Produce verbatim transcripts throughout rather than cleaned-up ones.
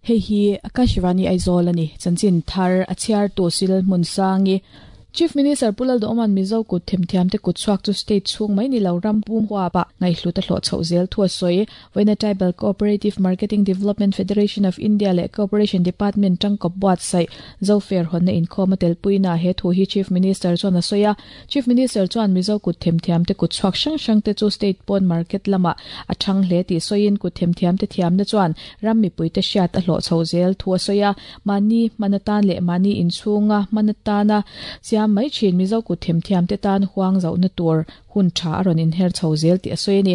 Hei hi Akashvani Aizawl ani chanchin thar a chhiar tu sil hmun sangi Chief Minister Pulal Doman Mizo kut themthiam te kut chuak chu state chung mai ni lo ram pum huwa pa ngai hlu ta hlo chho zel thu soi Voina Tribal Cooperative Marketing Development Federation of India le Cooperation Department tangkop buat sai zo fair hon na in khoma tel puina he thu hi Chief Minister chuan a soya Chief Minister chuan Mizo kut themthiam te kut chuak sang sang te chu state pon market lama a thang hle ti soin kut themthiam te thiam na chuan ram mi pui te hriat a hlo chho zel thu soya mani manatan le mani in chunga manatana sia mai chin Mizo ku themthiam te tan huang zau na tur hun tha aron in her chho zel ti asoini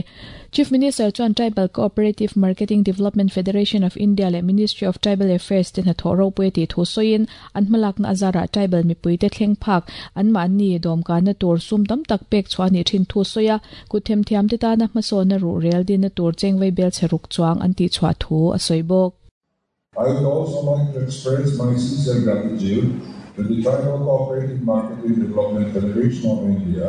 Chief Minister chuan Tribal Cooperative Marketing Development Federation of India le Ministry of Tribal Affairs te na thoro pui ti thu soin an hmalak na azara tribal mi pui te thleng phak an ma ni dom ka na tur sum tam tak pek chuani thin thu soya ku themthiam te ta na hmaso na ru rel din na tur chengwei bel cheruk chuang an ti chwa thu asoi bok. I would also like to express my sincere gratitude to the Tribal Cooperative Marketing Development Federation of India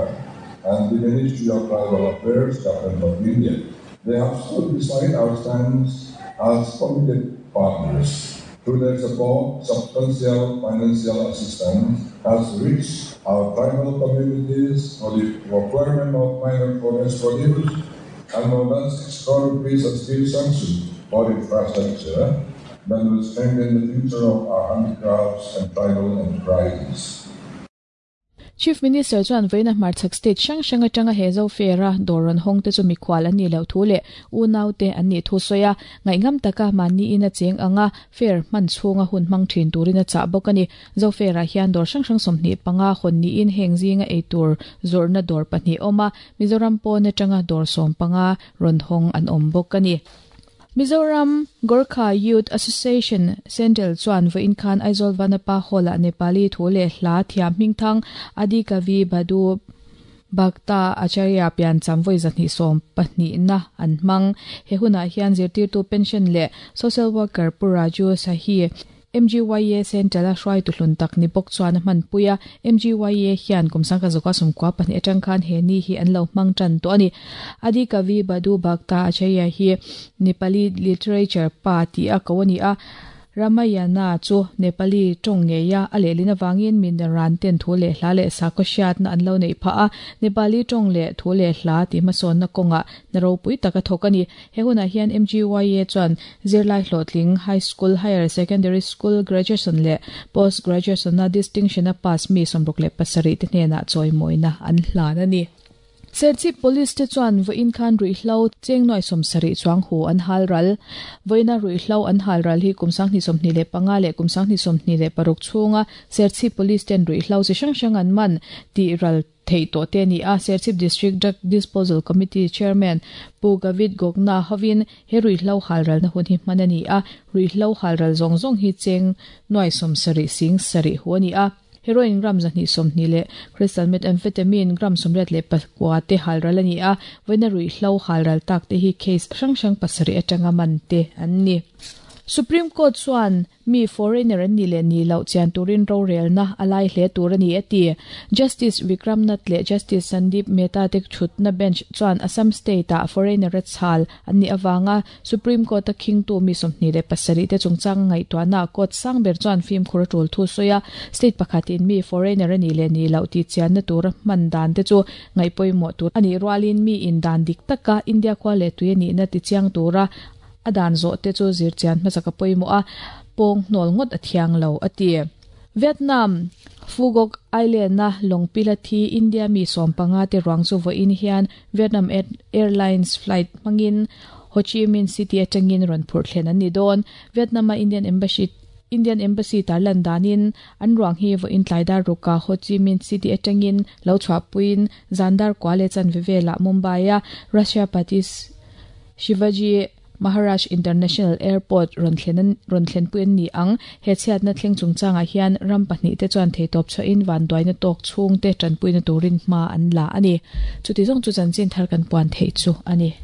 and the Ministry of Tribal Affairs, Government of India. They have stood beside our stance as committed partners. Through their support, substantial financial assistance has reached our tribal communities for the procurement of minor forest produce and more than six crore rupees has been sanctioned for infrastructure that will strengthen the future of our handicrafts and tribal enterprises. Chief Minister chuan Voina Hmarchhak State hrang hrang atanga he zo fera doron hong te chu mikhwal ani lo thu le unau te an ni thu soya ngaingam taka mani ina cheng anga fair man chunga hun mang thin turina cha bok ani zo fera hian dor hrang hrang somni panga hon ni in hengzinga eitur zorna dor pahnih oma Mizoram pawna atanga dor som panga ron hong an om bok ani. Mizoram Gorkha Youth Association Central chuan voin khan Aizawl Vanapa Hall-a Nepali thu le hla thiam hmingthang Adi Kavi Badu Bhakta Acharya pian chamvoi zahni som pahnih na an hmang he hunah hian zirtirtu pension le social worker Pu Raju Sahi M G Y A Central a hruai tu hlun tak ni bawk chuan a hman puia M G Y A hian kumsang ka zawka sumkua pahnih atang khan he ni hi an lo hmang tan tawh ani. Adi Kavi Badu Bhakta Acharya hi Nepali literature pa ti a ko ani a Ramayana chu Nepali tawng ngeia a lehlin awangin min ran ten thu le hla le sakhaw hriat na an lo nei pha a Nepali tawng le thu le hla ti hmasawn na kawnga na ropui taka thawk ani. He hunah hian M G Y A chuan zirlai hlawhtling high school, higher secondary school, graduation le post graduation na distinction a pass mi sawmruk le pasarih te hnenah chawimawina an hlan ani. Serchhip Police te chuan voin khan ruihhlo cheng nuai sawmsarih chuang hu an hal ral voina ruihhlo an hal ral hi kumsang hnih sawmhnih leh panga leh kumsang hnih sawmhnih leh paruk chhunga Serchhip Police ten ruihhlo chi hrang hrang an man ti ral thei tawh te ani a. Serchhip District Drug Disposal Committee Chairman Pu Gavit Gogna hovin he ruihhlo hal ral na hun hi hman ani a. Ruihhlo hal ral zawng zawng hi cheng nuai sawmsarih sing sarih hu ani a. Heroin gram zahnih sawmhnih leh crystal methamphetamine gram sawmriat leh pakua te halral ani a. Voina ruihhlo halral tak te hi case hrang hrang pasarih atanga man te an ni. Supreme Court chuan mi foreigner an ni le ni lo chian turin rorel na alai hle tur ani ati. Justice Vikram Nath le Justice Sandeep Mehta te thut na bench chuan Assam State a foreigner chhal an ni awanga Supreme Court a khing tu mi sawmhnih le pasarih te chungchang ngai tuana court sangber chuan film khura tul thu soya state pakhatin mi foreigner ani le ni lo ti chian na tur man dan te chu ngai poimo tur ani rualin mi in dan dik taka India khwa le tui ani na ti chiang tura adan zo te chu zir chian hmasaka poimo a pong hnol ngot a thiang lo ati. Vietnam Fugok Island na longpila thi India mi som panga te ruang chu vo in hian Vietnam Airlines flight mangin Ho Chi Minh City atangin ron phur thlen an ni don. Vietnam a Indian Embassy Indian Embassy tarlan danin an ruang hi vo in tlaidar ruka Ho Chi Minh City atangin lo chwa puin zandar kwale chan vevela Mumbai a Russia Patis Shivaji Maharaj International Airport ron thlen ron thlen puin ni ang he chhiat na thleng chungchanga hian ram pahnih te chuan thei top chaw in van duai na tok chhung te tanpui na turin hma an la ani. Chuti zawng chu chanchin thar kan puan thei chu ani.